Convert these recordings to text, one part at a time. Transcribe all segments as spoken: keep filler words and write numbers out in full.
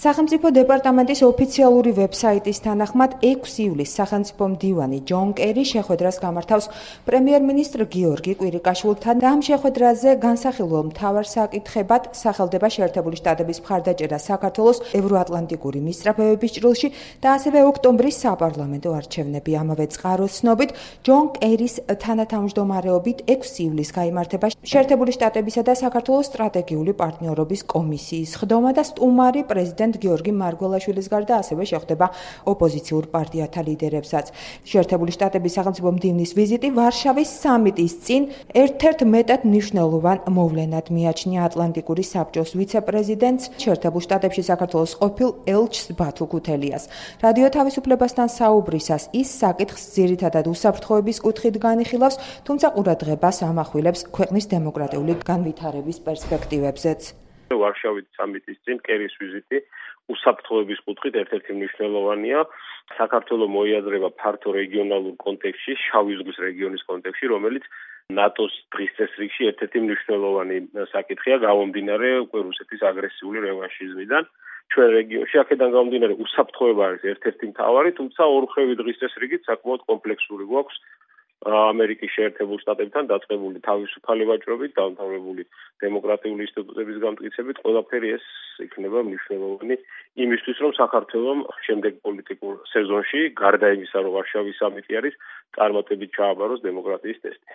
სახელმწიფო დეპარტამენტის ოფიციალური ვებსაიტის თანახმად ექვსი ივლისს სახელმწიფო მდივანი ჯონ კერი შეხვედრას გამართავს პრემიერ-მინისტრ გიორგი კვირიკაშვილთან და ამ შეხვედრაზე განსახილველ მთავარ საკითხებად სახელდება შეერთებული შტატების მხარდაჭერა საქართველოს ევროატლანტიკური მისწრაფებების ჭრილში და ასევე ოქტომბრის საპარლამენტო არჩევნები. ამავე წყაროს ცნობით ჯონ კერის თანათავმჯდომარეობით ექვსი ივლისს გაიმართება შეერთებული შტატებისა და საქართველოს სტრატეგიული პარტნიორობის კომისიის ხდომა და სტუმარი პრეზიდენტ გიორგი მარგველაშვილის გარდა ასევე შეხვდება ოპოზიციურ პარტიათა ლიდერებსაც. შეერთებული შტატების სახელმწიფო მდივნის ვიზიტი ვარშავის სამიტის წინ ერთ-ერთ მეტად მნიშვნელოვან მოვლენად მიაჩნია ატლანტიკური საბჭოს ვიცე-პრეზიდენტს შეერთებულ შტატებში საქართველოს ყოფილ ელჩს ბათუ ქუთელიას. რადიო თავისუფლებასთან საუბრისას ის საკითხს ძირითადად უსაფრთხოების კუთხით განიხილავს, თუმცა ყურადღებას ამახვილებს ქვეყნის დემოკრატიული განვითარების პერსპექტივებზეც. ვარშავის სამიტის წინ კერის ვიზიტი უსაფრთხოების კუთხით ერთ-ერთი მნიშვნელოვანია. საქართველოს მოიაზრება ფართო რეგიონალურ კონტექსტში, შავი ზღვის რეგიონის კონტექსტში, რომელიც ნატოს დღის წესრიგში ერთ-ერთი მნიშვნელოვანი საკითხია, გამომდინარე უკვე რუსეთის აგრესიული რევანშიზმიდან. ჩვენ რეგიონში აქედან გამომდინარე უსაფრთხოება არის ერთ-ერთი მთავარი, თუმცა ორმხრივი დღის წესრიგით საკმაოდ კომპლექსური გვაქვს ამერიკის შეერთებულ შტატებთან დაწყებული თავისუფალი ვაჭრობით, დამთავრებული დემოკრატიული ინსტიტუტების გამტკიცებით, ყველაფერი ეს იქნება მნიშვნელოვანი იმისთვის, რომ საქართველოს შემდეგ პოლიტიკურ სეზონში, გარდა იმისა, რომ ვარშავის სამიტი არის, წარმატებით ჩააბაროს დემოკრატიის ტესტი.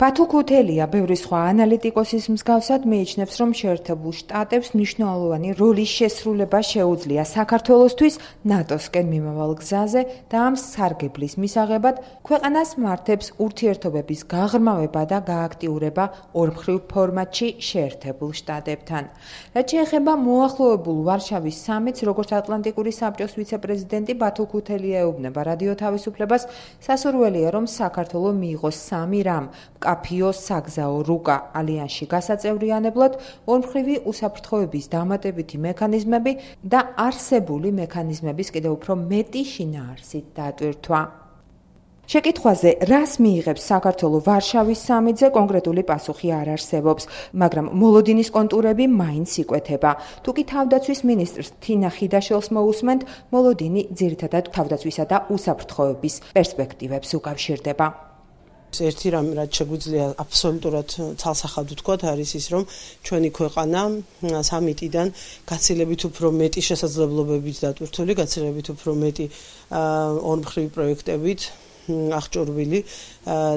ბათუ ქუთელია ბევრი სხვა ანალიტიკოსის მსგავსად მიიჩნევს, რომ შეერთებულ შტატებს მნიშვნელოვანი როლის შესრულება შეუძლია საქართველოსთვის ნატოსკენ მიმავალ გზაზე და ამ სარგებლის მისაღებად ქვეყანას მართებს ურთიერთობების გაღრმავება და გააქტიურება ორმხრივ ფორმატში შეერთებულ შტატებთან. რაც შეეხება მოახლოებულ ვარშავის სამიტს, როგორც ატლანტიკური საბჭოს ვიცე-პრეზიდენტი ბათუ ქუთელია ეუბნება რადიო თავისუფლებას, სასურველია, რომ საქართველო მიიღოს სამი რამ კაფიო საგზაო რუკა ალიანსში გასაწევრიანებლად, ორმხრივი უსაფრთხოების დამატებითი მექანიზმები და არსებული მექანიზმების კიდევ უფრო მეტი შინაარსით დატვირთვა. შეკითხვაზე, რას მიიღებს საქართველოს ვარშავის სამიტზე, კონკრეტული პასუხი არ არსებობს, მაგრამ მოლოდინის კონტურები მაინც იკვეთება. თუ კი თავდაცვის მინისტრს თინა ხიდაშელს მოусმენთ, მოლოდინი ძირითადად თავდაცვისა და უსაფრთხოების პერსპექტივებს უკავშირდება. ერთი რამ რაც შეგვიძლია აბსოლუტურად ცალსახად ვთქვათ, არის ის, რომ ჩვენი ქვეყანა სამიტიდან გაცილებით უფრო მეტი შესაძლებლობებით დატვირთული, გაცილებით უფრო მეტი ორმხრივი პროექტებით აღჭურვილი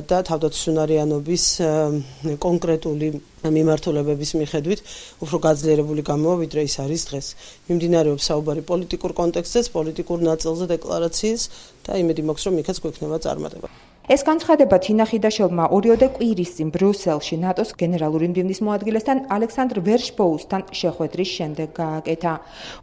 და თავდაცვისუნარიანობის კონკრეტული მიმართულებების მიხედვით უფრო გაძლიერებული გამოვა, ვიდრე ის არის დღეს. მიმდინარეობს საუბარი პოლიტიკურ კონტექსტზეც, პოლიტიკურ ნაწილზე დეკლარაციის და იმედი მაქვს, რომ იქაც გვექნება წარმატება. ეს განცხადება თინა ხიდაშელმა ორიოდე კვირის წინ ბრიუსელში ნატოს გენერალური მდივნის მოადგილესთან ალექსანდრ ვერშბოუსთან შეხვედრის შემდეგ გააკეთა.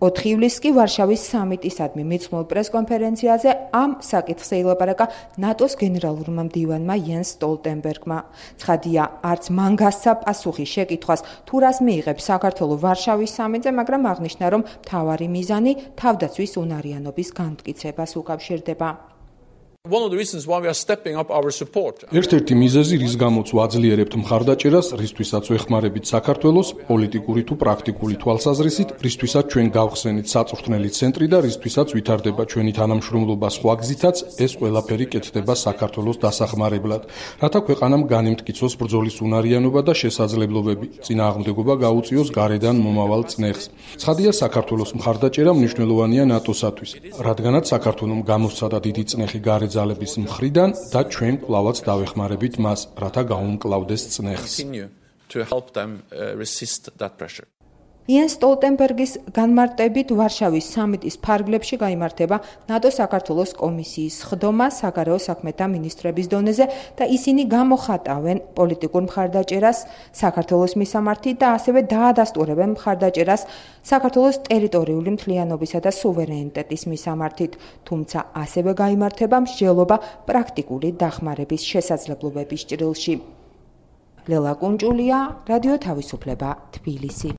ოთხი ივლისს კი ვარშავის სამიტისადმი მიძღვნილ პრესკონფერენციაზე ამ საკითხზე ილაპარაკა ნატოს გენერალურმა მდივანმა იენს სტოლტენბერგმა. ცხადია, არც მან გასცა პასუხი შეკითხვას, თუ რას მიიღებს საქართველოს ვარშავის სამიტზე, მაგრამ აღნიშნა, რომ მთავარი მიზანი თავდაცვის უნარიანობის განმტკიცებას უკავშირდება. ერთ-ერთი მიზეზი, რის გამოც ვაძლიერებთ მხარდაჭერას, რისთვისაც ვეხმარებით საქართველოს, პოლიტიკური თუ პრაქტიკული თვალსაზრისით, რისთვისაც ჩვენ გავხსენით საწვრთნელი ცენტრი და რისთვისაც ვითარდება ჩვენი თანამშრომლობა სხვა გზითაც, ეს ყველაფერი კეთდება საქართველოს დასახმარებლად, რათა ქვეყანამ განიმტკიცოს ბრძოლის უნარიანობა და შესაძლებლობები, წინააღმდეგობა გაუწიოს გარედან მომავალ წნეხს. ცხადია, საქართველოს მხარდაჭერა მნიშვნელოვანია ნატოსათვის, რადგანაც საქართველომ გამოსცადა დიდი წნეხი გარეთ ძალების მხრიდან და ჩვენ კვლავაც დავეხმარებით მას, რათა გაუმკლავდეს წნეხს. იენს სტოლტენბერგის განმარტებით ვარშავის სამიტის ფარგლებში გაიმართება ნატო-საქართველოს კომისიის ხდომა საგარეო საქმეთა მინისტრების დონეზე და ისინი გამოხატავენ პოლიტიკურ მხარდაჭერას საქართველოს მისამართით და ასევე დაადასტურებენ მხარდაჭერას საქართველოს ტერიტორიული მთლიანობისა და სუვერენიტეტის მისამართით, თუმცა ასევე გაიმართება მსჯელობა პრაქტიკული დახმარების შესაძლებლობების ჭრილში. ლელა კუნჭულია, რადიო თავისუფლება, თბილისი.